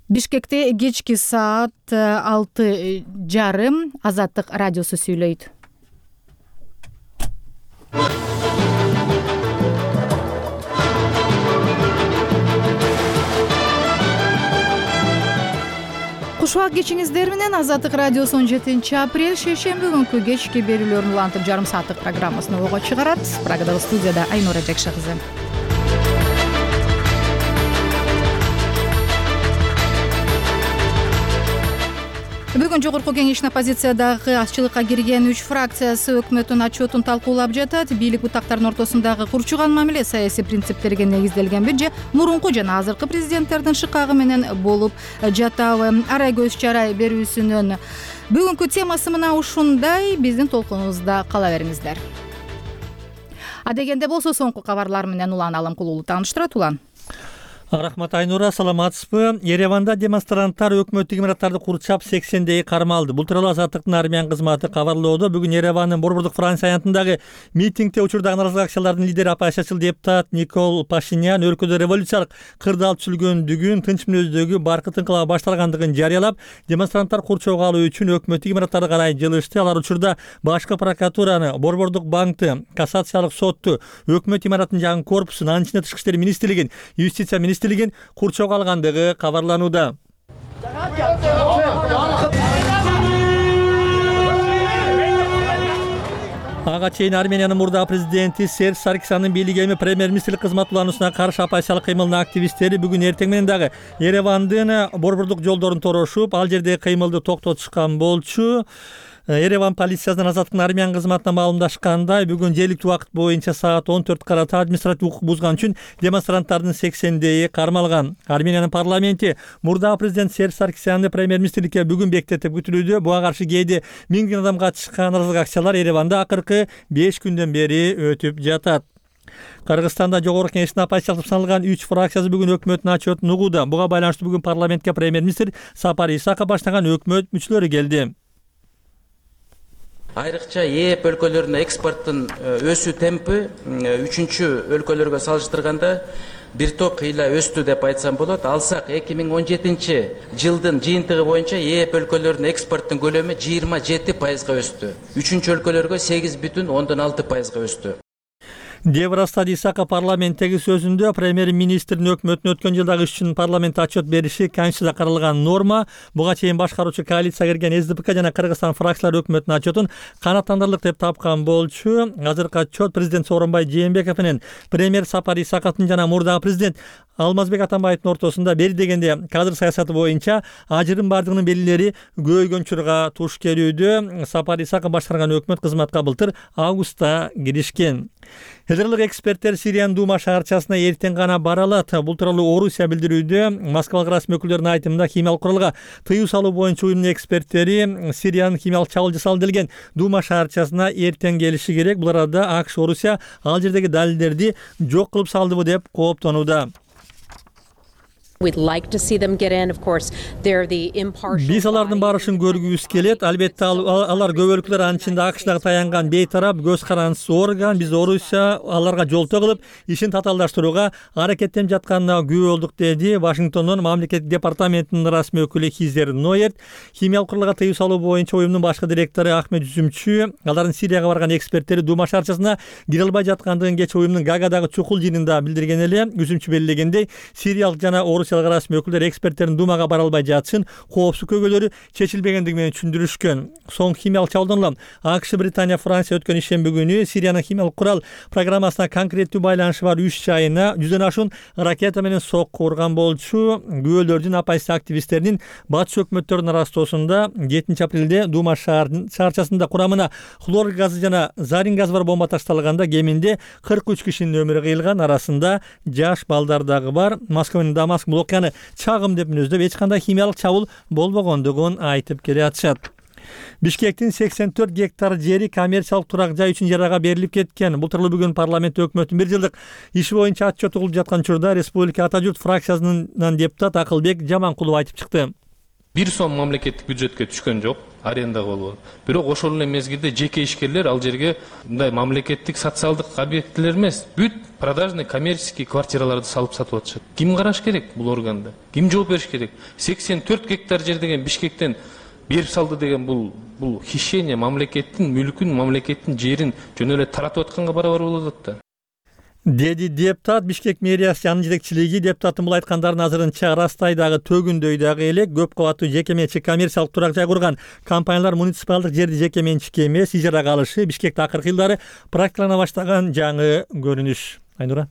Бишкекте кечки саат 6:30 Азаттык радиосу сүйлөйт. Кушубак кечиңиздер менен Азаттык радиосу 17 апрель шейшемби күнкү кечки берүүлөрүн улантып жарым сааттык программасын ого чыгарат. Прагадагы студияда Айнура Жакшы кызы. Бүгүн жогорку кеңештин оппозициядагы азчылыкка кирген 3 фракциясы өкмөттүн отчетун талкуулап жатат. Бийлик бутактардын ортосундагы курчуган мамиле саясий принциптерге негизделгенби же мурунку жана азыркы президенттердин шыкагы менен болуп жатабы? Арай көз чарай берүүсүнүн бүгүнкү темасы мына ушундай. Биздин толкунубузда кала бериңиздер. Адегенде болсо соңку кабарлар менен Улан Алымкулуулу тааныштырат. Улан. Рахмат Айнура, саламатсызбы? Ереванда демонстранттар өкмөттүк имараттарды курчап 80 кармалды. Бул тууралуу Азаттыктын армиян кызматы кабарлоодо. Бүгүн Еревандын Борбордук Франция аянтындагы митингде учурдагы нааразылык акциялардын лидери оппозициячыл депутат Никол Пашинян өлкөдө революциялык кырдаал түзүлгөндүгүн, тынч мүнөздөгү баркыт инкылабы башталгандыгын жарыялап, демонстранттар курчоого алуу үчүн өкмөттүк имараттарды карай жылышты. Алар учурда башкы прокуратураны, Борбордук банкты, кассациялык сотту, өкмөт имараттын жаңы корпусун, анын ичинде Тышкы иштер министрлигин, юстиция министрлигин курчоого алгандыгы кабарланууда. Ага чейин Армениянын мурдагы президенти Серж Саркисяндын бийлиги эми премьер-министрлик кызмат улануусуна каршы оппозициялык кыймылдын активисттери бүгүн эртең менен дагы Еревандын борбордук жолдорун торошуп, ал жердеги кыймылды токтотушкан болчу. Ереван полициясынын Азаттыктын армиян кызматына маалымдашкандай, бүгүн жергиликтүү убакыт боюнча саат 14 карата административдик укук бузган үчүн демонстранттардын 80 кармалган. Армениянын парламенти мурдагы президент Серж Саркисянды премьер-министрликке бүгүн бекитет деп күтүлүүдө. Буга каршы кээде 1000 адам катышкан нааразылык акциялар Ереванда акыркы 5 күндөн бери өтүп жатат. Кыргызстанда жогорку кеңештин оппозициялык саналган 3 фракциясы бүгүн өкмөттүн отчетун угууда. Буга байланыштуу бүгүн парламентке премьер-министр Сапар Исаков баштаган өкмөт мүчөлөрү келди. Айрыкча ЕЭП өлкөлөрүнө экспорттун өсүү темпи 3-чү өлкөлөргө салыштырганда бир топ ыйла өстү деп айтсам болот. Алсак 2017-жылдын жыйынтыгы боюнча ЕЭП өлкөлөрүнүн экспорттун көлөмү 27% өстү. 3-чү өлкөлөргө 8,6% өстү. деп ырастады Исаков парламенттеги сөзүндө. Премьер-министрдин өкмөттүн өткөн жылдагы иш үчүн парламентте отчет бериши Конституцияда каралган норма. Буга чейин башкаруучу коалицияга кирген СДПК жана Кыргызстан фракциялары өкмөттүн отчетун канааттандырырлык деп тапкан болчу. Азыркы отчет президент Сооронбай Жээнбеков менен премьер Сапар Исаковдун жана мурдагы президент Алмазбек Атамбаевдин ортосунда бери дегенде кадр саясаты боюнча ажырым бардыгынын белгилери көйгөн чурга туш келүүдө. Сапар Исаков башкарган өкмөт кызматка былтыр августта киришкен. Федералдык эксперттер Сириянын Дума шаарчасына эртең гана бара алат. Бул тууралуу Орусия билдирүүдө. Москвалык расмий өкүлдөрдүн айтымында кимиялык куралга тыюу салуу боюнча уюмдун эксперттери Сириянын химиялык чабуул жасалдырылган Дума шаарчасына эртең келиши керек. Бул арада АКШ Орусия ал жердеги далилдерди жок кылып салдыбы деп кооптонууда. We'd like to see them get in, of course. They're the impartial. Биз алардын барышын көргүбүз келет. Албетте алар көбөлүклөр анын ичинде АКШдагы таянган бейтарап көз карандысыз орган. Биз Орусия аларга жолтоо кылып, ишин татаалдаштырууга аракеттенип жатканына күбө болдук, деди Вашингтондон мамлекеттик департаментинин расмий өкүлү Хизер Ноерт. Химиялык куралга тыюу салуу боюнча уюмдун башкы директору Ахмед Жүзүмчү алардын Сирияга барган эксперттери Дума шаарчасына кире албай жаткандыгын кечээ уюмдун Гагадагы чукул жыйынында билдирген эле. Жүзүмчү белгилегендей, сириялык жана Орусиялык расмий өкүлдөр эксперттердин Думага бара албай жатышын коопсуз көйгөйлөрү чечилбегендиги менен түшүндүрүшкөн. Соңку химиялык чабуулдан улам АКШ, Британия, Франция өткөн ишемби күнү Сириянын химиялык курал программасына конкреттүү байланышы бар 3 жайына 100дөн ашуун ракета менен сокку урган болчу. Күбөлөрдүн оппозиция активисттеринин батыш өкмөттөрүнүн арастоосунда 7 апрелде Дума шаарчасында курамына хлор газы жана зарин газ бар бомба ташталганда кеминде 43 кишинин өмүрү кыйылган. Арасында жаш балдар дагы бар. Москва менен Дамаск бул окуяны чагым деп мүнөздөп, эч кандай химиялык чабуул болбогондугун айтып келе атышат. Бишкектин 84 гектар жери коммерциялык турак жай үчүн ижарага берилип кеткен. Бул тууралуу бүгүн парламент өкмөттүн 1 жылдык иши боюнча отчет угулуп жаткан учурда Республика Ата журт фракциясынын депутат Акылбек Жаманкулов айтып чыкты. 1 сом мамлекеттик бюджетке түшкөн жок, арендага болот. Бирок ошол эле мезгилде жеке ишкерлер ал жерге мындай мамлекеттик социалдык объектилер эмес, бүт продажный коммерческий квартираларды салып сатып атышат. Ким караш керек бул органда? Ким жооп бериш керек? 84 гектар жер деген Бишкектен берип салды деген бул хищение, мамлекеттин мүлкүн, мамлекеттин жерин жөн эле таратып атканга барабар болот да. Деди депутат. Бишкек мэриясы жанын жетекчилиги депутаттын бул айткандарын азырынча Растайдагы төгүндөйдагы элек көп кабаттуу жеке менчик коммерциялык турак жай курган компаниялар муниципалдык жерди жеке менчикке эмес ижарага алышы Бишкекте акыркы жылдары практикалана баштаган жаңы көрүнүш. Айнура.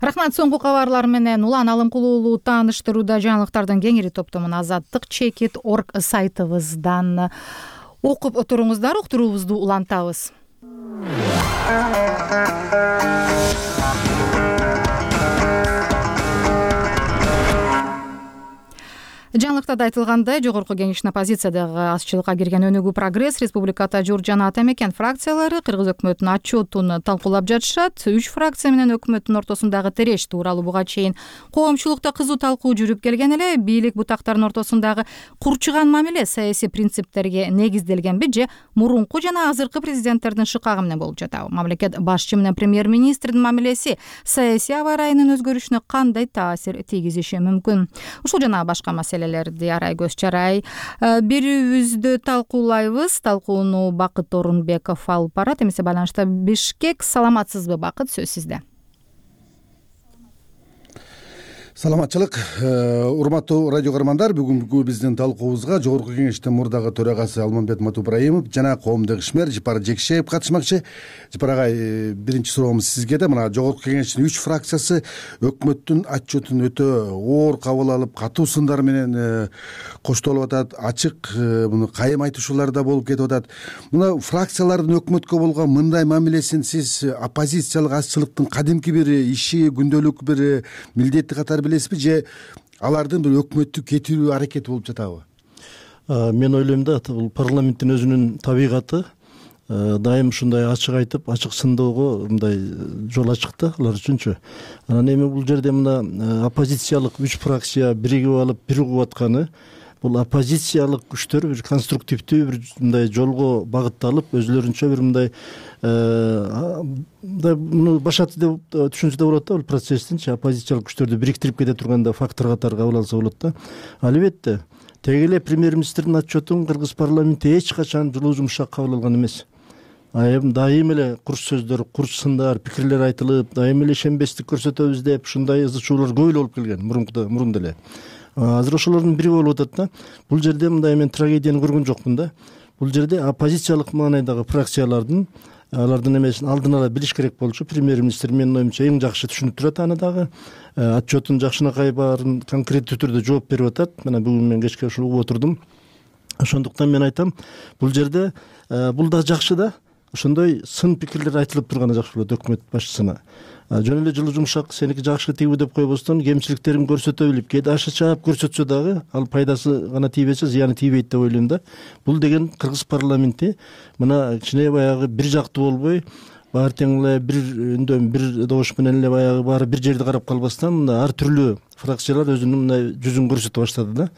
Рахмат. Соңку кабарлар менен Улан Алымкулуу уулу тааныштырууда жаңылыктардын кеңири топтомун Азаттык чекит орг сайтыбыздан окуп отуруңуздар. Уктуруубузду улантабыз. Жаңылыктарда айтылгандай, жогорку кеңештин оппозициядагы азчылыкка кирген Өнүгүү Прогресс, Республиката Жур жана Ата Мекен фракциялары Кыргыз өкмөтүнүн отчетун талкуулап жатышат. 3 фракция менен өкмөттүн ортосундагы тереш тууралуу буга чейин коомчулукта кызуу талкуу жүрүп келген эле. Бийлик бутактардын ортосундагы курчуган мамиле саясий принциптерге негизделгенби же мурунку жана азыркы президенттердин шыкагы менен болуп жатабы? Мамлекет башчы менен премьер-министрдин мамилеси саясий аба ырайынын өзгөрүшүнө кандай таасир тийгизиши мүмкүн? Ушул жана башка маселелерди Арай Көз Чарай берүүбүздө талкуулайбыз. Талкууну Бакыт Орунбеков алып барат. Эмесе байланышта Бишкек. Саламатсызбы, Бакыт? Сөз сизде. Саламатчылык, урматтуу радио көрөрмандар. Бүгүнкү биздин талкуубузга жогорку кеңештин мурдагы төрагасы Алмамбет Матубраимов жана коомдук ишмер Жапар Жекшеев катышмакчы. Жапар агай, биринчи суроомуз сизге да. Мына жогорку кеңештин 3 фракциясы өкмөттүн отчетун өтө оор кабыл алып, катуу сындар менен коштолуп атат. Ачык муну кайым айтышуулар да болуп кетип атат. Мына фракциялардын өкмөткө болгон мындай мамилесин сиз оппозициялык азчылыктын кадимки бир иши, күндөлүк бир милдети катары билесизби же алардын бир өкмөттү кетирүү аракети болуп жатабы? Мен ойлойм да, бул парламенттин өзүнүн табигаты дайым ушундай ачык айтып, ачык сындоого мындай жол ачык да алар үчүнчү. Анан эми бул жерде мына оппозициялык 3 фракция биригип алып, бир угуп атканы бул оппозициялык күчтөр бир конструктивдүү бир мындай жолго багытталып, өзлөрүнчө бир мындай муну башаты деп түшүнсө да болот да, бул процесстинчи оппозициялык күчтөрдү бириктирип кете турган да фактор катары кабыл алса болот да. Албетте, теги эле премьер-министрдин отчетун Кыргыз парламенти эч качан жылуу жумшак кабыл алган эмес. Дайым эле курч сөздөр, курч сындар, пикирлер айтылып, дайым эле ишенбестик көрсөтөбүз деп ушундай ызы чуулар көп эле болуп келген мурун деле. Азыр ошолордун бири болуп атат да. Бул жерде мындай мен трагедияны көргөн жокмун да. Бул жерде оппозициялык маанайдагы фракциялардын алардын эмесин алдын ала билиш керек болчу. Премьер-министр менин оюмча эң жакшы түшүнүп турат аны дагы. Отчетун жакшынакай баарын конкреттүү түрдө жооп берип атат. Мына бүгүн мен кечке ушул угуп отурдум. Ошондуктан мен айтам, бул жерде бул да жакшы да. Ошондой сын пикирлер айтылып турганы жакшы болот өкмөт башчысына. Жөн эле жылуу жумшак сеники жакшы тийби деп койбостон, кемчиликтерин көрсөтө билип, кээде ашы чаап көрсөтсө дагы ал пайдасы гана тийбесе, зыяны тийбейт деп ойлойм да. Бул деген Кыргыз парламенти мына кичине баягы бир жактуу болбой, баары тең эле бир үндөн бир добуш менен эле баягы баары бир жерди карап калбастан, мына ар түрлүү фракциялар өзүнүн мындай жүзүн көрсөтө баштады да.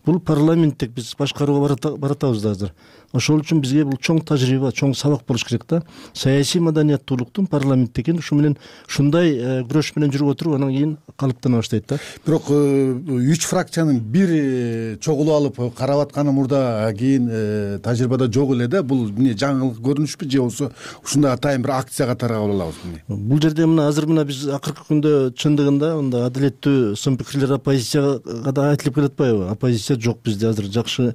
Бул парламенттик биз башкарууга баратабыз да азыр. Ошол үчүн бизге бул чоң тажрыйба, чоң сабак болуш керек да. Саясий маданияттуулуктун парламентте экен, ушу менен ушундай күрөш менен жүрүп отуруп, анан кийин калыптана баштайт да. Бирок 3 фракциянын бир чогулуп алып карап атканы мурда кийин тажрыйбада жок эле да. Бул эмне жаңылык көрүнүшпү же болбосо ушундай атайын бир акция катары кабыл алабыз эмне? Бул жерде мына азыр мына биз акыркы күндө чындыгында мындай адилеттүү сын пикирлер оппозицияга да айтылып келатпайбы? Оппозиция жок бизде азыр, жакшы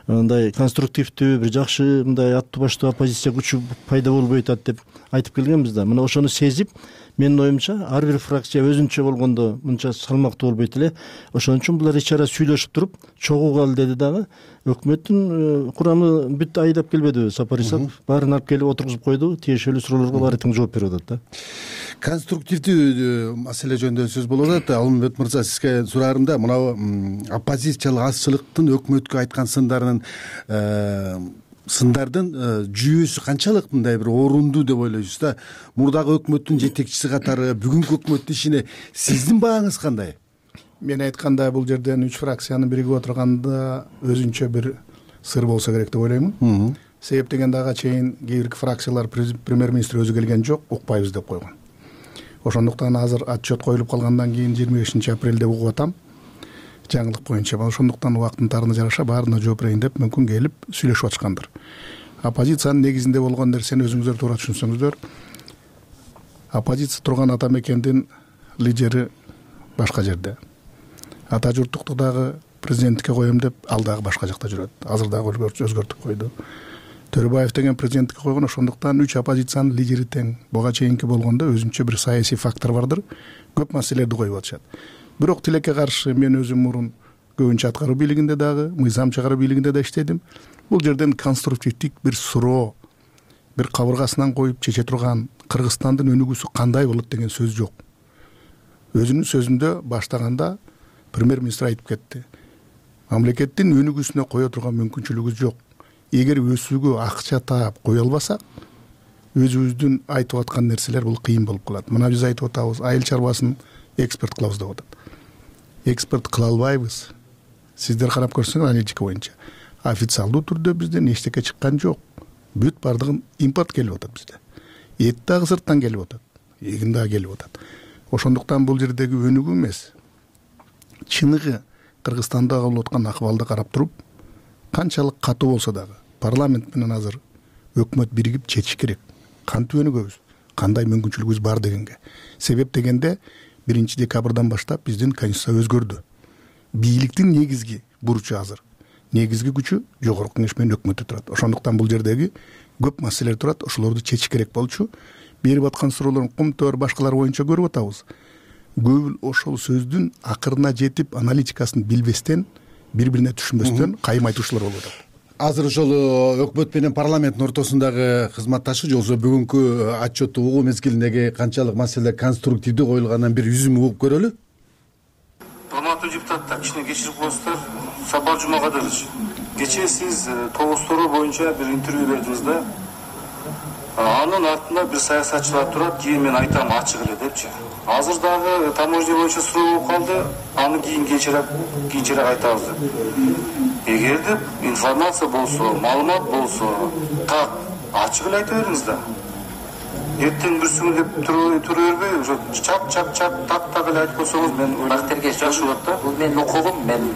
мындай конструктивдүү бир жакшы мындай аттуу баштуу оппозиция күчү пайда болбой атат деп айтып келгенбиз да. Мына ошону сезип, менин оюмча ар бир фракция өзүнчө болгондо мынча салмактуу болбойт эле. Ошон үчүн булар ич ара сүйлөшүп туруп чогуугал деди дагы. Өкмөттүн курамы бүт айдап келбедиби? Сапар Исаков баарын алып келип отургузуп койду. Тиешелүү суроолорго баары тең жооп берип атат да. Конструктивдүү маселе жөнүндө сөз болуп атат. Алмамбет мырза, сизге сураарымда мына оппозициялык азчылыктын өкмөткө айткан сындардын жүйөсү канчалык мындай бир орунду деп ойлойсуз да? Мурдагы өкмөттүн жетекчиси катары бүгүнкү өкмөттүн ишине сиздин бааңыз кандай? мен айтканда бул жерден 3 фракциянын биригип отурганда өзүнчө бир сыр болсо керек деп ойлоймун. Себеп дегенде ага чейин кээ бир фракциялар премьер-министр өзү келген жок, укпайбыз деп койгон. Ошондуктан азыр отчет коюлуп калгандан кийин 25 апрелде угуп атам. Жаңылык боюнча. Ошондуктан убактын тарына жараша баарына жооп берейин деп мүмкүн келип сүйлөшүп атышкандыр. Оппозициянын негизинде болгон нерсени өзүңүздөр туура түшүнсөңүздөр, оппозиция турган ата мекендин лидери башка жерде. Ата журттукту дагы президенттикке коем деп ал дагы башка жакта жүрөт. Азыр дагы өзгөртүп койду. Төрөбаев деген президенттикке койгон, ошондуктан 3 оппозициянын лидери тең. Буга чейинки болгондо өзүнчө бир саясий фактор бардыр. Көп маселелерди коюп атышат. Бирок тилекке каршы мен өзүм мурун көбүнчө аткаруу бийлигинде дагы, мыйзам чыгаруу бийлигинде да иштедим. Бул жерден конструктивдик бир суроо, бир кабыргасынан коюп чече турган Кыргызстандын өнүгүүсү кандай болот деген сөз жок. Өзүнүн сөзүндө баштаганда премьер-министр айтып кетти. Мамлекеттин өнүгүүсүнө кое турган мүмкүнчүлүгүбүз жок. Эгер өсүүгө акча таап кое албасак, өзүбүздүн айтып аткан нерселер бул кыйын болуп калат. Мына биз айтып атабыз, айыл чарбасын экспорт кылабыз деп атат. Экспорт кыла албайбыз. Сиздер карап көрсөңөр аналитика боюнча. Официалдуу түрдө бизден эчтеке чыккан жок. Бүт бардыгын импорт келип атат бизде. Эт дагы сырттан келип атат. Эгин дагы келип атат. Ошондуктан бул жердеги өнүгүү эмес. Чыныгы Кыргызстанда болуп аткан акыбалды карап туруп, канчалык катуу болсо дагы парламент менен азыр өкмөт биригип чечиш керек. Кантип өнүгөбүз, кандай мүмкүнчүлүгүбүз бар дегенге. Себеп дегенде 1 декабрдан баштап биздин конституция өзгөрдү. Бийликтин негизги бурчу азыр, негизги күчү жогорку кеңеш менен өкмөттө турат. Ошондуктан бул жердеги көп маселелер турат, ошолорду чечиш керек болчу. Берип аткан суроолордун Кумтөр башкалар боюнча көрүп атабыз. Көп ошол сөздүн акырына жетип аналитикасын билбестен, бири-бирине түшүнбөстөн кайым айтуучулар болуп атат. Азыр ошол өкмөт менен парламенттин ортосундагы кызматташуу же болбосо бүгүнкү отчетту угуу мезгилиндеги канчалык маселе конструктивдүү коюлганынан бир үзүм угуп көрөлү. Урматтуу депутаттар, кичине кечирип коесуздар. Сапар Жумакадырович, кечээ сиз тогустуруу боюнча бир интервью бердиңиз да. Анын артында бир саясатчылар турат, кийин мен айтам ачык эле депчи. Азыр дагы таможня боюнча суроо болуп калды, аны кийин кийинчерээк айтабыз деп. Эгерде информация болсо, маалымат болсо, так ачык эле айта бериңиз да. Эртең бир сүңүлүп тура бербей, ошо чап так эле айтып койсоңуз мен Бактырге жакшы болот да. Бул менин укугум, мен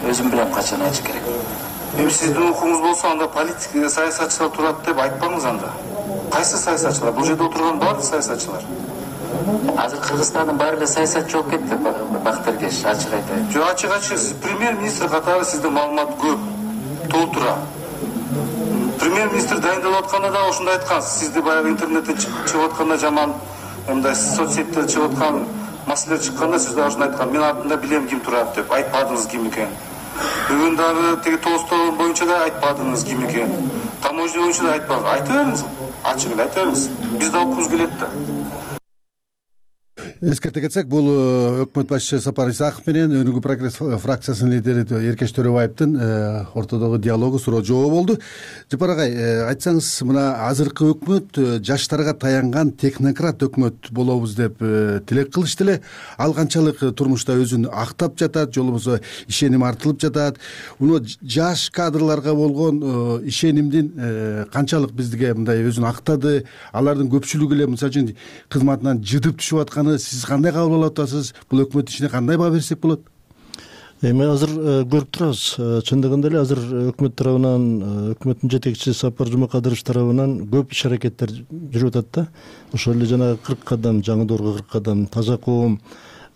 өзүм билем качан айтыш керек. Эми сиздин укугуңуз болсо, анда политик саясатчылар турат деп айтпаңыз анда. Кайсы саясатчылар? Бул жерде отурган баардык саясатчылар. Азыр Кыргызстандын баары эле саясатчы болуп кетти, Бактыргеш, ачык айтайын. Жок, ачык премьер-министр катары сизде маалымат көп, толтура. Премьер-министр дайындалып атканда да ошондой айткан. Сизди баягы интернеттен чыгып атканда жаман, мындай соцсеттерде чыгып аткан маселелер чыкканда сиз да ошондой айткан. Мен артында билем ким турат деп, айтпадыңыз ким экенин. Бүгүн дагы теги Толстой боюнча да айтпадыңыз ким экенин. Таможня боюнча да айтпадыңыз. Айта бериңиз. Ачык эле айта бериңиз. Биз да окугубуз келет да. Эскерте кетсек, бул өкмөт башчысы Сапар Исаков менен Өнүгүү прогресс фракциясынын лидери Эркеш Төрөбаевдин ортодогу диалогу суроо жооп болду. Жапар агай, айтсаңыз, мына азыркы өкмөт жаштарга таянган технократ өкмөт болобуз деп тилек кылышты эле. Ал канчалык турмушта өзүн актап жатат, же болбосо ишеним артылып жатат. Муну жаш кадрларга болгон ишенимдин канчалык бизге мындай өзүн актады, алардын көпчүлүгү эле мисалы үчүн кызматынан жыдып түшүп атканы сиз кандай кабыл алып атасыз? Бул өкмөт ишине кандай баа берсек болот? Эми азыр көрүп турабыз. Чындыгында эле азыр өкмөт тарабынан, өкмөттүн жетекчиси Сапар Жумакадыров тарабынан көп иш аракеттер жүрүп атат да. Ошол эле жанагы 40 кадам, жаңы доорго 40 кадам, таза коом,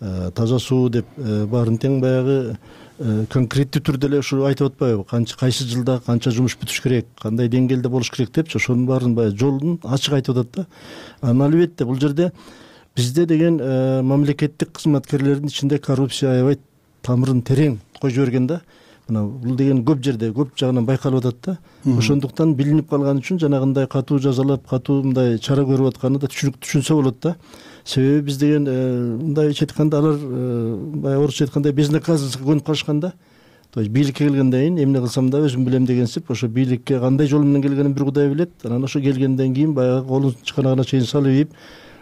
таза суу деп баарын тең баягы конкреттүү түрдө эле ушу айтып атпайбы? Кайсы жылда канча жумуш бүтүш керек, кандай деңгээлде болуш керек депчи, ошонун баарын баягы жолун ачык айтып атат да. Анан албетте бул жерде бизде деген мамлекеттик кызматкерлердин ичинде коррупция аябай тамырын терең коюп жиберген да. Мына бул деген көп жерде, көп жагынан байкалып атат да. Ошондуктан билинип калган үчүн жанагындай катуу жазалап, катуу мындай чара көрүп атканы да түшүнсө болот да. Себеби биз деген мындайча айтканда алар баягы орусча айткандай безнаказанностька көнүп калышкан да. То есть бийликке келгенден кийин эмне кылсам да өзүм билем дегенсип, ошо бийликке кандай жол менен келгенин бир Кудай билет. Анан ошо келгенден кийин баягы колун чыканагына чейин салып ийип,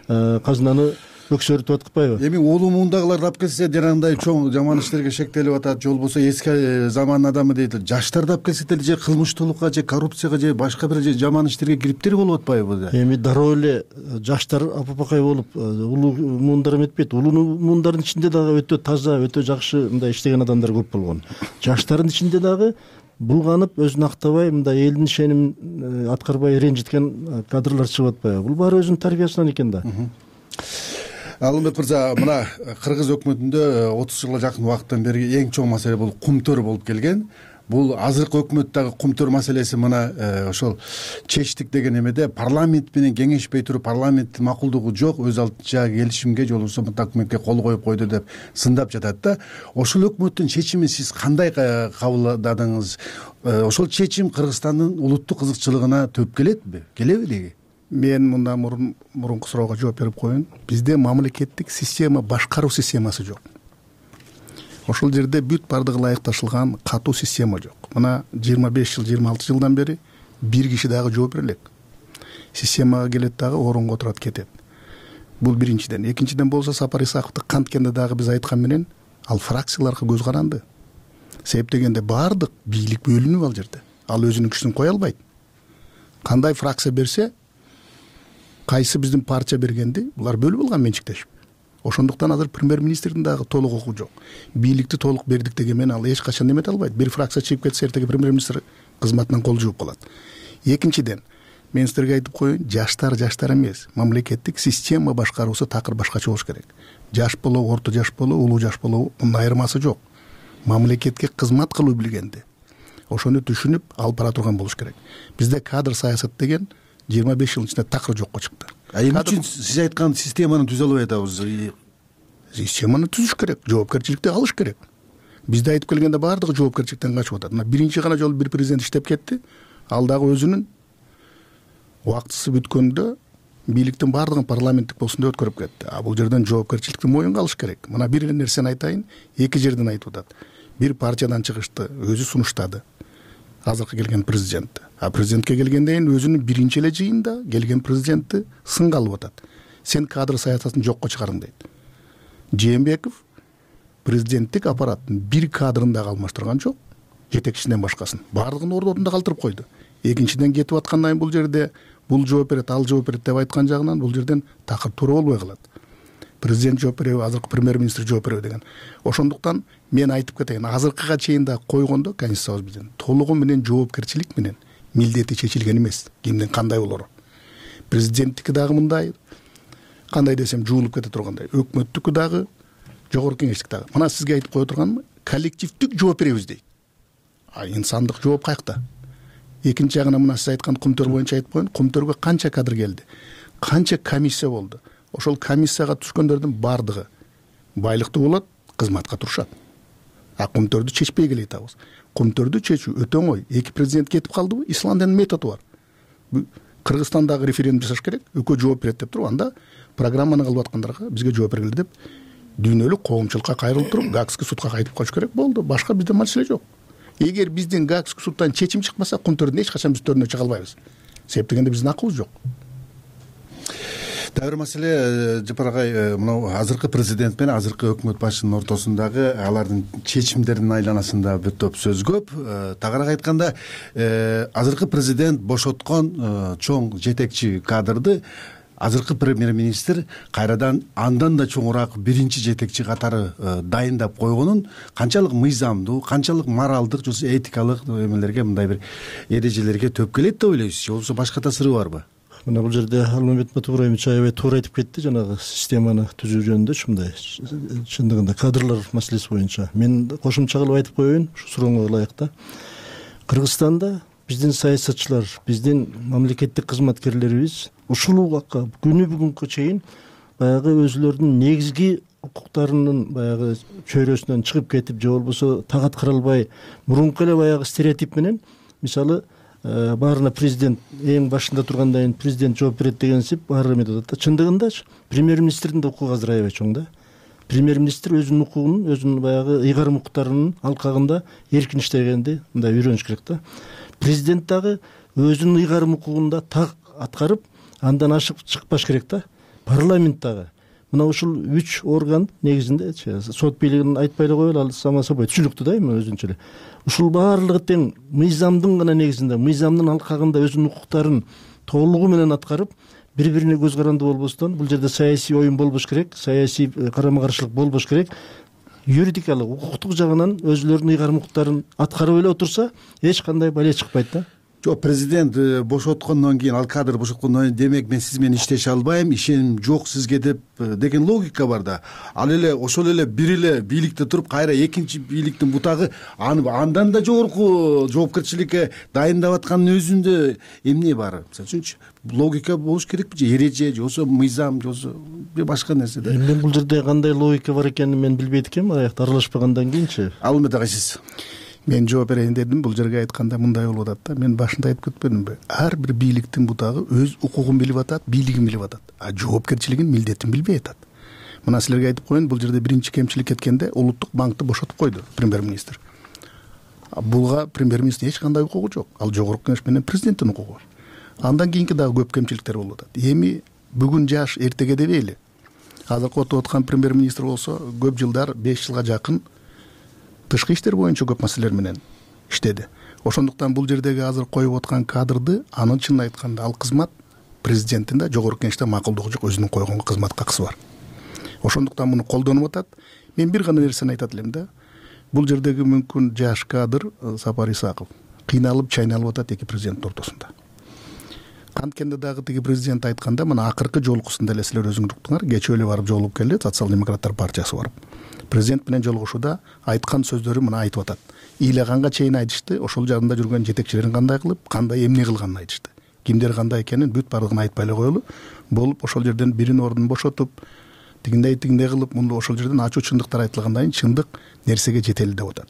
казынаны өксөрүтүп аткызбайбы? Эми улуу муундагылар дап келсе жанагындай чоң жаман иштерге шектелип атат, же болбосо эски заман адамы дейт. Жаштар дап келсе деле же кылмыштуулукка, же коррупцияга, же башка бир же жаман иштерге кириптир болуп атпайбы? Эми дароо эле жаштар апапакай болуп улуу муундар эметпейт. Улуу муундардын ичинде дагы өтө таза, өтө жакшы мындай иштеген адамдар көп болгон. Жаштардын ичинде дагы булганып, өзүн актабай, мындай элдин ишенимин аткарбай ренжиткен кадрлар чыгып атпайбы? Бул баары өзүнүн тарбиясынан экен да. Алмамбет мырза, мына Кыргыз өкмөтүндө 30 жылга жакын убакыттан бери эң чоң маселе бул кумтөр болуп келген. Бул азыркы өкмөттөгү кумтөр маселеси мына ошол чечтик деген эмеде парламент менен кеңешпей туруп, парламенттин макулдугу жок, өз алдынча келишимге же болбосо документке кол коюп койду деп сындап жатат да. Ошол өкмөттүн чечимин сиз кандай кабылдадыңыз? Ошол чечим Кыргызстандын улуттук кызыкчылыгына төп келетби? Келеби деги? Мен мында мурунку суроого жооп берип коеюн. Бизде мамлекеттик система, башкаруу системасы жок. Ошол жерде бүт бардыгы ылайыкташылган катуу система жок. Мына 25 жыл, 26 жылдан бери бир киши дагы жооп бере элек. Системага келет дагы орунга отурат кетет. Бул биринчиден. Экинчиден болсо Сапар Исаковду канткенде дагы биз айткан менен ал фракцияларга көз каранды. Себеп дегенде бардык бийлик бөлүнүп ал жерде. Ал өзүнүн күчүн кое албайт. Кандай фракция берсе, кайсы биздин партия бергенди, булар бөлүп алган менчиктешип. Ошондуктан азыр премьер-министрдин дагы толук укугу жок. Бийликти толук бердик деген менен ал эч качан эмете албайт. Бир фракция чыгып кетсе, эртеги премьер-министр кызматынан кол жууп калат. Экинчиден, мен силерге айтып коеюн, жаштар эмес, мамлекеттик система башкаруусу такыр башкача болуш керек. Жаш болобу, орто жаш болобу, улуу жаш болобу, мунун айырмасы жок. Мамлекетке кызмат кылуу билгенди, ошону түшүнүп алып бара турган болуш керек. Бизде кадр саясат деген 25 жылдын ичинде такыр жокко чыкты. Эмне үчүн сиз айткан системаны түзө албай атабыз? Системаны түзүш керек, жоопкерчиликти алыш керек. Бизде айтып келгенде баардыгы жоопкерчиликтен качып атат. Мына биринчи гана жолу бир президент иштеп кетти. Ал дагы өзүнүн убактысы бүткөндө бийликтин баардыгын парламенттик болсун деп өткөрүп кетти. Бул жерден жоопкерчиликти моюнга алыш керек. Мына бир эле нерсени айтайын, эки жерден айтып атат. Бир партиядан чыгышты, өзү сунуштады. Азыркы келген президент. Президентке келгенден кийин өзүнүн биринчи эле жыйында келген президентти сынга алып атат. Сен кадр саясатын жокко чыгардың дейт. Жээнбеков президенттик аппараттын бир кадрын дагы алмаштырган жок, жетекчисинен башкасын. Баардыгын ордунда калтырып койду. Экинчиден кетип аткандан кийин бул жерде бул жооп берет, ал жооп берет деп айткан жагынан бул жерден такыр туура болбой калат. Президент жооп береби, азыркы премьер-министр жооп береби деген. Ошондуктан мен айтып кетейин, азыркыга чейин да койгондо конституциябыз биздин толугу менен жоопкерчилик менен милдети чечилген эмес. Кимдин кандай болору. Президенттики дагы мындай, кандай десем жуулуп кете тургандай. Өкмөттүкү дагы, жогорку кеңештик дагы. Мына сизге айтып кое турганым, коллективдик жооп беребиз дейт. Инсандык жооп каякта? Экинчи жагына мына сиз айткан кумтөр боюнча айтып коеюн, кумтөргө канча кадр келди? Канча комиссия болду? Ошол комиссияга түшкөндөрдүн бардыгы байлыктуу болот, кызматка турушат. Кумтөрдү чечпей келе атабыз. Кумтөрдү чечүү өтө оңой. Эки президент кетип калдыбы? Исландиянын методу бар. Кыргызстандагы референдум жасаш керек, экөө жооп берет деп туруп, анда программаны кылып аткандарга бизге жооп бергиле деп дүйнөлүк коомчулукка кайрылып туруп, Гаагский судка кайтып калыш керек болду. Башка бизде маселе жок. Эгер биздин Гаагский судтан чечим чыкмаса, кумтөрдүн эч качан биз төрүнө чыга албайбыз. Себеп дегенде биздин акыбыз жок. Дагы бир маселе, Жапар агай, мына азыркы президент менен азыркы өкмөт башчынын ортосундагы алардын чечимдеринин айланасында бир топ сөз көп. Тагыраак айтканда, азыркы президент бошоткон чоң жетекчи кадрды азыркы премьер-министр кайрадан андан да чоңураак биринчи жетекчи катары дайындап койгонун канчалык мыйзамдуу, канчалык моралдык, же этикалык эмелерге, мындай бир эрежелерге төп келет деп ойлойсуз, же болбосо башка таасиры барбы? Мына бул жерде Алмамбет Матубаевич аябай туура айтып кетти, жанагы системаны түзүү жөнүндө. Мындай чындыгында кадрлар маселеси боюнча мен кошумча кылып айтып коеюн, ушу сурооңо ылайык да. Кыргызстанда биздин саясатчылар, биздин мамлекеттик кызматкерлерибиз ушул убакка күнү бүгүнкү чейин баягы өзүлөрүнүн негизги укуктарынын баягы чөйрөсүнөн чыгып кетип, же болбосо так аткара албай, мурунку эле баягы стереотип менен, мисалы баарына президент эң башында тургандан кийин президент жооп берет дегенсип баары эметип атат да. Чындыгындачы премьер-министрдин да укугу азыр аябай чоң да. Премьер-министр өзүнүн укугунун, өзүнүн баягы ыйгарым укуктарынын алкагында эркин иштегенди мындай үйрөнүш керек да. Президент дагы өзүнүн ыйгарым укугунда так аткарып, андан ашып чыкпаш керек да. Парламент дагы мына ушул 3 орган негизинде сот бийлигин айтпай эле коелу, ал само собой түшүнүктүү да эми өзүнчө эле. Ушул баардыгы тең мыйзамдын гана негизинде, мыйзамдын алкагында өзүнүн укуктарын толугу менен аткарып, бири-бирине көз карандуу болбостон, бул жерде саясий оюн болбош керек, саясий карама-каршылык болбош керек, юридикалык, укуктук жагынан өзүлөрүнүн ыйгарым укуктарын аткарып эле отурса, эч кандай бале чыкпайт да. Жок, президент бошоткондон кийин, ал кадр бошоткондон кийин, демек мен сиз менен иштеше албайм, ишеним жок сизге деп деген логика бар да. Ал эле ошол эле бир эле бийликте туруп, кайра экинчи бийликтин бутагы андан да жогорку жоопкерчиликке дайындап аткандын өзүндө эмне бар? Мисалы үчүнчү, логика болуш керекпи же эреже, же болбосо мыйзам, же болбосо башка нерсе да. Мен бул жерде кандай логика бар экенин мен билбейт экенмин, аякта аралашпагандан кийинчи. Алмет агай, сиз? Мен жооп берейин дедим, бул жерге айтканда мындай болуп атат да. Мен башында айтып кетпедимби? Ар бир бийликтин бутагы өз укугун билип атат, бийлигин билип атат, а жоопкерчилигин, милдетин билбей атат. Мына силерге айтып коеюн, бул жерде биринчи кемчилик кеткенде улуттук банкты бошотуп койду премьер-министр. Буга премьер-министрдин эч кандай укугу жок. Ал жогорку кеңеш менен президенттин укугу бар. Андан кийинки дагы көп кемчиликтер болуп атат. Эми бүгүн жаш, эртеге дебейли. Азыркы отуруп аткан премьер-министр болсо көп жылдар, 5 жылга жакын тышкы иштер боюнча көп маселелер менен иштеди. Ошондуктан бул жердеги азыр коюп аткан кадрды, анын чынын айтканда ал кызмат президенттин да жогорку кеңеште макулдугу жок, өзүнүн койгон кызматка акысы бар. Ошондуктан муну колдонуп атат. Мен бир гана нерсени айтат элем да. Бул жердеги мүмкүн жаш кадр Сапар Исаков кыйналып, чайналып атат эки президенттин ортосунда. Канткенде дагы тиги президент айтканда, мына акыркы жолугушунда эле силер өзүңөр уктуңар, кечээ эле барып жолугуп келди, социал-демократтар партиясы барып. Президент менен жолугушууда айткан сөздөрү мына айтып атат. Ыйлаганга чейин айтышты, ошол жагында жүргөн жетекчилерин кандай кылып, кандай эмне кылганын айтышты. Кимдер кандай экенин бүт бардыгын айтпай эле коелу. Болуп ошол жерден биринин ордун бошотуп, тигиндей кылып, мунду ошол жерден ачуу чындыктар айтылгандан кийин чындык нерсеге жетели деп атат.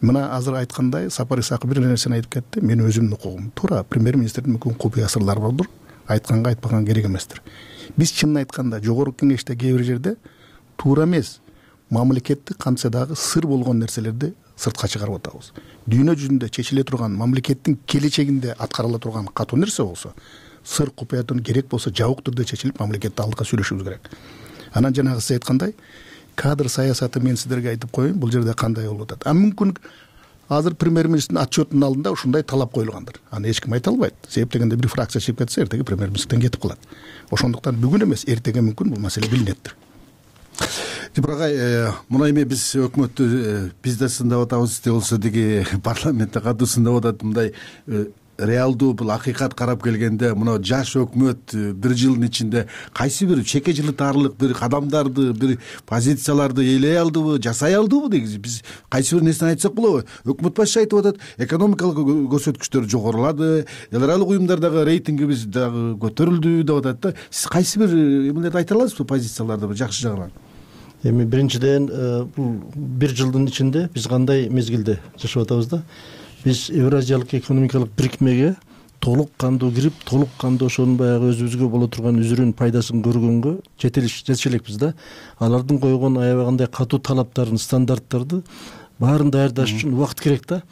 Мына азыр айткандай Сапар Исаков бир нерсени айтып кетти. Мен өзүмдүн укугум. Туура, премьер-министрдин мүмкүн купуя сырлары болдур. Айтканга айтпаган керек эместир. Биз чынын айтканда жогорку кеңеште кээ бир жерде туура эмес, мамлекетти кантсе дагы сыр болгон нерселерди сыртка чыгарып атабыз. Дүйнө жүзүндө чечиле турган, мамлекеттин келечегинде аткарыла турган катуу нерсе болсо, сыр купуятын керек болсо жабык түрдө чечилип, мамлекетти алдыга сүйлөшүбүз керек. Анан жанагы сиз айткандай, кадр саясаты мен сиздерге айтып коеюн, бул жерде кандай болуп атат. Мүмкүн азыр премьер-министрдин отчетунун алдында ушундай талап коюлгандыр. Аны эч ким айта албайт. Себеп дегенде бир фракция чыгып кетсе, эртеге премьер-министрден кетип калат. Ошондуктан бүгүн эмес, эртеге мүмкүн бул маселе билинеттир. Жапырагай, мына эми биз өкмөттү биз да сындап атабыз, де болсо тиги парламентте катуу сындап атат. Мындай реалдуу бул акыйкат карап келгенде, мына жаш өкмөт бир жылдын ичинде кайсы бир чеке жылытарлык бир кадамдарды, бир позицияларды ээлей алдыбы, жасай алдыбы негизи? Биз кайсы бир нерсени айтсак болобу? Өкмөт башчысы айтып атат, экономикалык көрсөткүчтөр жогорулады, эл аралык уюмдардагы рейтингибиз дагы көтөрүлдү деп атат да. Сиз кайсы бир эмнелерди айта аласызбы, позицияларды жакшы жагынан? Эми биринчиден бул бир жылдын ичинде биз кандай мезгилде жашап атабыз да? Биз Евразиялык экономикалык бирикмеге толук кандуу кирип, толук кандуу ошонун баягы өзүбүзгө боло турган үзүрүн, пайдасын көргөнгө жетише элекпиз да. Алардын койгон аябагандай катуу талаптарын, стандарттарды баарын даярдаш үчүн убакыт керек да.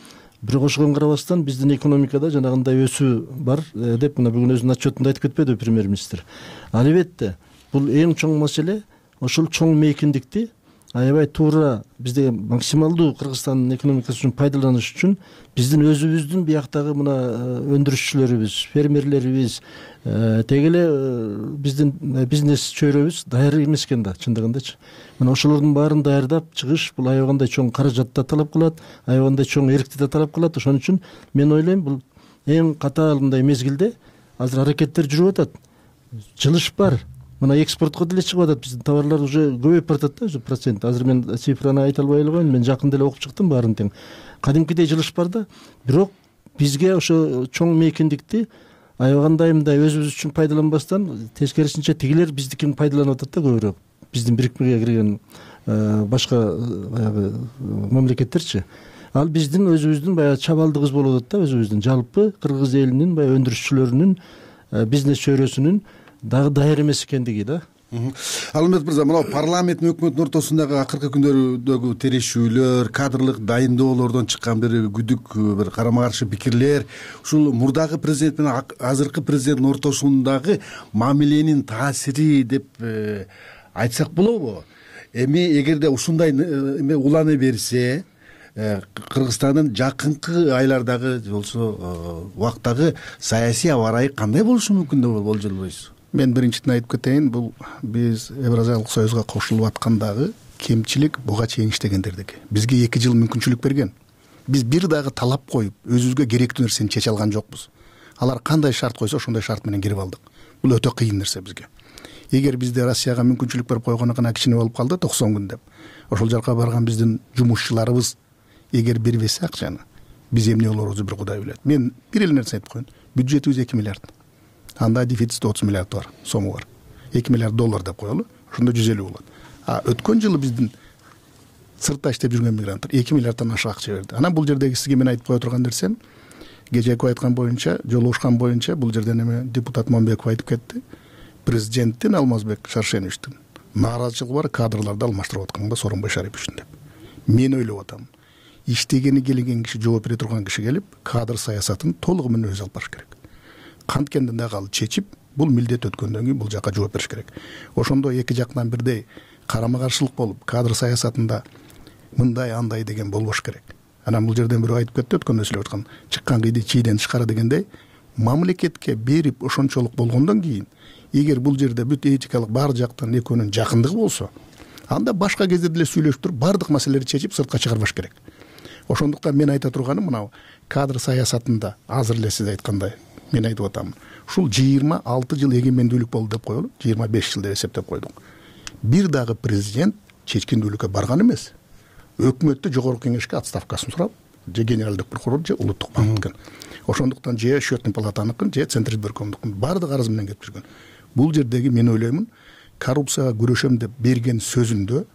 Бирок ошого карабастан биздин экономикада жанагындай өсүү бар деп мына бүгүн өзүнүн отчетунда айтып кетпедиби премьер-министр? Албетте, бул эң чоң маселе. Ошол чоң мейкиндикти аябай туура бизде максималдуу Кыргызстандын экономикасы үчүн пайдаланыш үчүн биздин өзүбүздүн бияктагы мына өндүрүшчүлөрүбүз, фермерлерибиз, теги эле биздин бизнес чөйрөбүз даяр эмес экен да, чындыгындачы. Мына ошолордун баарын даярдап чыгыш бул аябагандай чоң каражатты талап кылат, аябагандай чоң эркти да талап кылат. Ошон үчүн мен ойлойм, бул эң катаал мындай мезгилде азыр аракеттер жүрүп атат. Жылыш бар. Мына экспортко деле чыгып атат, биздин товарлар уже көбөйүп баратат да, уже процент. Азыр мен цифраны айта албай эле коеюн, мен жакында эле окуп чыктым баарын тең. Кадимкидей жылыш бар да, бирок бизге ошо чоң мейкиндикти аябагандай мындай өзүбүз үчүн пайдаланбастан, тескерисинче тигилер биздикин пайдаланып атат да көбүрөөк. Биздин бирикмеге кирген башка баягы мамлекеттерчи. Ал биздин өзүбүздүн баягы чабалдыгыбыз болуп атат да, өзүбүздүн жалпы кыргыз элинин баягы өндүрүшчүлөрүнүн бизнес чөйрөсүнүн дагы даяр эмес экендиги да. Алмет мырза, мына парламент менен өкмөттүн ортосундагы акыркы күндөрдөгү терешүүлөр, кадрлык дайындоолордон чыккан бир күдүк, бир карама каршы пикирлер, ушул мурдагы президент менен азыркы президенттин ортосундагы мамиленин таасири деп айтсак болобу? Эми эгерде ушундай эме уланы берсе, Кыргызстандын жакынкы айлардагы болсо убактагы саясий аба ырайы кандай болушу мүмкүн деп болжолдойсуз? Мен биринчиден айтып кетейин, бул биз Евразиялык союзга кошулуп аткандагы кемчилик буга чейин иштегендердики. Бизге 2 жыл мүмкүнчүлүк берген. Биз бир дагы талап коюп, өзүбүзгө керектүү нерсени чече алган жокпуз. Алар кандай шарт койсо, ошондой шарт менен кирип алдык. Бул өтө кыйын нерсе бизге. Эгер бизде Россияга мүмкүнчүлүк берип койгону гана кичине болуп калды 90 күн деп. Ошол жака барган биздин жумушчуларыбыз эгер бербесе акчаны, биз эмне болорубузду бир Кудай билет. Мен бир эле нерсе айтып коеюн. Бюджетибиз 2 миллиард. Анда дефицит 30 миллиард бар, сому бар. 2 миллиард доллар деп коелу. Ошондо 150 болот. Өткөн жылы биздин сыртта иштеп жүргөн мигранттар 2 миллиарддан ашык акча берди. Анан бул жердеги сизге мен айтып кое турган нерсем, кечээки айткан боюнча, жолугушкан боюнча бул жерден эме депутат Момбеков айтып кетти. Президенттин Алмазбек Шаршеновичтин нааразычылыгы бар, кадрларды алмаштырып атканга Сооронбай Шариповичтин деп. Мен ойлоп атам. Иштегени келген киши, жооп бере турган киши келип, кадр саясатын толугу менен өзү алып барыш керек. Канткенде дагы ал чечип, бул милдет өткөндөн кийин бул жака жооп бериш керек. Ошондо эки жактан бирдей карама каршылык болуп, кадр саясатында мындай андай деген болбош керек. Анан бул жерден бирөө айтып кетти, өткөндө сүйлөп аткан, чыккан кийди чийден чыкара дегендей, мамлекетке берип ошончолук болгондон кийин, эгер бул жерде бүт этикалык бар жактан экөөнүн жакындыгы болсо, анда башка кезде деле сүйлөшүп туруп бардык маселелерди чечип сыртка чыгарбаш керек. Ошондуктан мен айта турганым мынау кадр саясатында азыр эле сиз айткандай мен айтып атам. Ушул 26 жыл эгемендүүлүк болду деп коелу, 25 жыл деп эсептеп койдук. Бир дагы президент чечкиндүүлүккө барган эмес. Өкмөттө жогорку кеңешке отставкасын сурап, же генералдык прокурор, же улуттук банктын. Ошондуктан же счетный палатаныкын, же Центризбиркомдукун бардык арыз менен кетип жүргөн. Бул жердеги мен ойлоймун, коррупцияга күрөшөм деп берген сөзүндө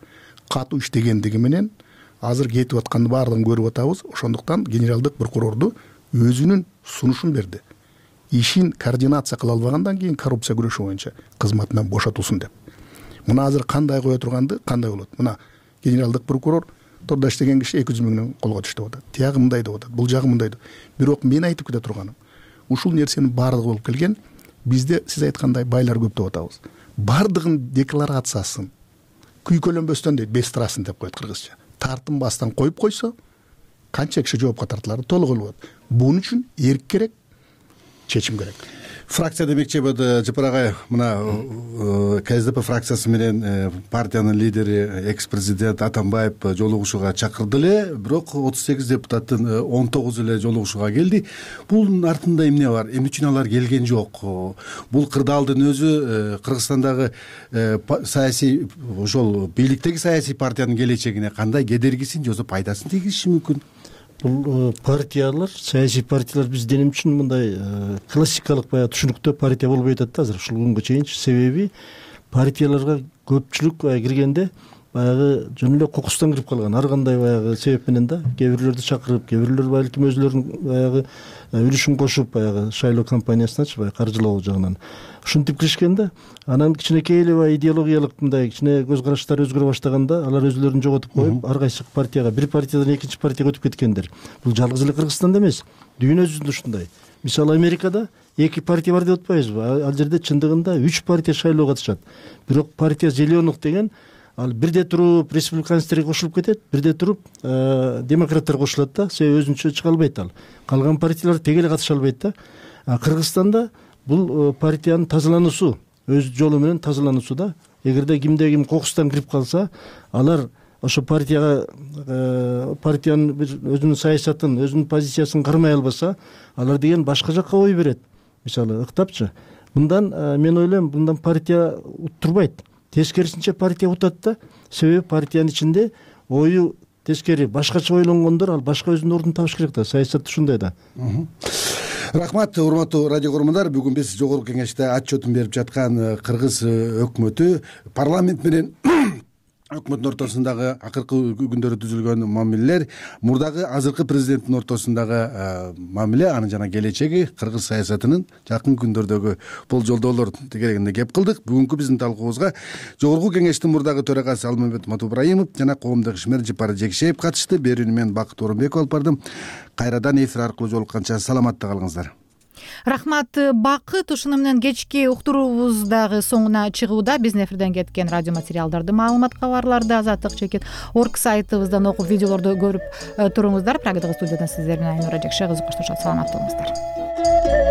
катуу иштегендиги менен азыр кетип атканды баардыгын көрүп атабыз. Ошондуктан генералдык прокурорду өзүнүн сунушун берди. Ишин координация кыла албагандан кийин коррупция күрөшү боюнча кызматынан бошотулсун деп. Мына азыр кандай кое турганды, кандай болот? Мына генералдык прокурор тордо иштеген киши 200 миңден колго түштү деп атат. Тиягы мындай деп атат, бул жагы мындай деп. Бирок мен айтып кете турганым, ушул нерсенин баардыгы болуп келген. Бизде сиз айткандай байлар көп деп атабыз. Бардыгын декларациясын күйкөлөнбөстөн дейт, бестрасын деп коет кыргызча. Тартынбастан коюп койсо, канча киши жоопко тартылары толук болот. Бунун үчүн эрк керек, чечим керек. Фракция демекчи болду Жапар агай, мына КСДП фракциясы менен партиянын лидери экс-президент Атамбаев жолугушууга чакырды эле, бирок 38 депутаттын 19 эле жолугушууга келди. Бунун артында эмне бар? Эмне үчүн алар келген жок? Бул кырдаалдын өзү Кыргызстандагы саясий ошол бийликтеги саясий партиянын келечегине кандай кедергисин же пайдасын тийгизиши мүмкүн? Бул партиялар, саясий партиялар бизден эмне үчүн мындай классикалык баягы түшүнүктө партия болбой атат да азыр ушул күнгө чейинчи. Себеби партияларга көпчүлүк киргенде баягы жөн эле кокустан кирип калган. Ар кандай баягы себеп менен да, кээ бирлерди чакырып, кээ бирлер балким өзүлөрүнүн баягы үлүшүн кошуп, баягы шайлоо кампаниясыначы баягы каржылоо жагынан ушинтип киришкен да. Анан кичинекей эле баягы идеологиялык мындай кичине көз караштары өзгөрө баштаганда алар өзүлөрүн жоготуп коюп, ар кайсы партияга, бир партиядан экинчи партияга өтүп кеткендер. Бул жалгыз эле Кыргызстанда эмес, дүйнө жүзүндө ушундай. Мисалы Америкада 2 партия бар деп атпайбызбы? Ал жерде чындыгында 3 партия шайлоого катышат. Бирок партия Зеленых деген ал бирде туруп республиканецтерге кошулуп кетет, бирде туруп демократтар кошулат да, себеби өзүнчө чыга албайт ал. Калган партиялар теге эле катыша албайт да. Кыргызстанда бул партиянын тазалануусу, өз жолу менен тазалануусу да. Эгерде кимде ким кокустан кирип калса, алар ошо партиянын бир өзүнүн саясатын, өзүнүн позициясын кармай албаса, алар деген башка жакка ой берет. Мисалы, ыктапчы. Мындан мен ойлойм, мындан партия уттурбайт. Тескерисинче партия утат да. Себеби партиянын ичинде ою тескери башкача ойлонгондор ал башка өзүнүн ордун табыш керек да. Саясат ушундай да. Рахмат, урматтуу радио көрөрмандар. Бүгүн биз жогорку кеңеште отчетун берип жаткан Кыргыз өкмөтү парламент менен өкмөттүн ортосундагы акыркы күндөрү түзүлгөн мамилелер, мурдагы азыркы президенттин ортосундагы мамиле, анын жана келечеги, кыргыз саясатынын жакын күндөрдөгү болжолдоолор тегерегинде кеп кылдык. Бүгүнкү биздин талкуубузга жогорку кеңештин мурдагы төрагасы Алмамбет Матубраимов жана коомдук ишмер Жапар Жекшеев катышты. Берүүнү мен Бакыт Орунбеков алып бардым. Кайрадан эфир аркылуу жолукканча саламатта калыңыздар. Рахмат Бакыт. Ушуну менен кечки уктуруубуз дагы соңуна чыгууда. Биздин эфирден кеткен радио материалдарды, маалымат кабарларды azatlyk.org сайтыбыздан окуп, видеолорду көрүп туруңуздар. Программадагы студиядан сиздер менен Айнура Жекше кызы коштошот. Саламат болуңуздар.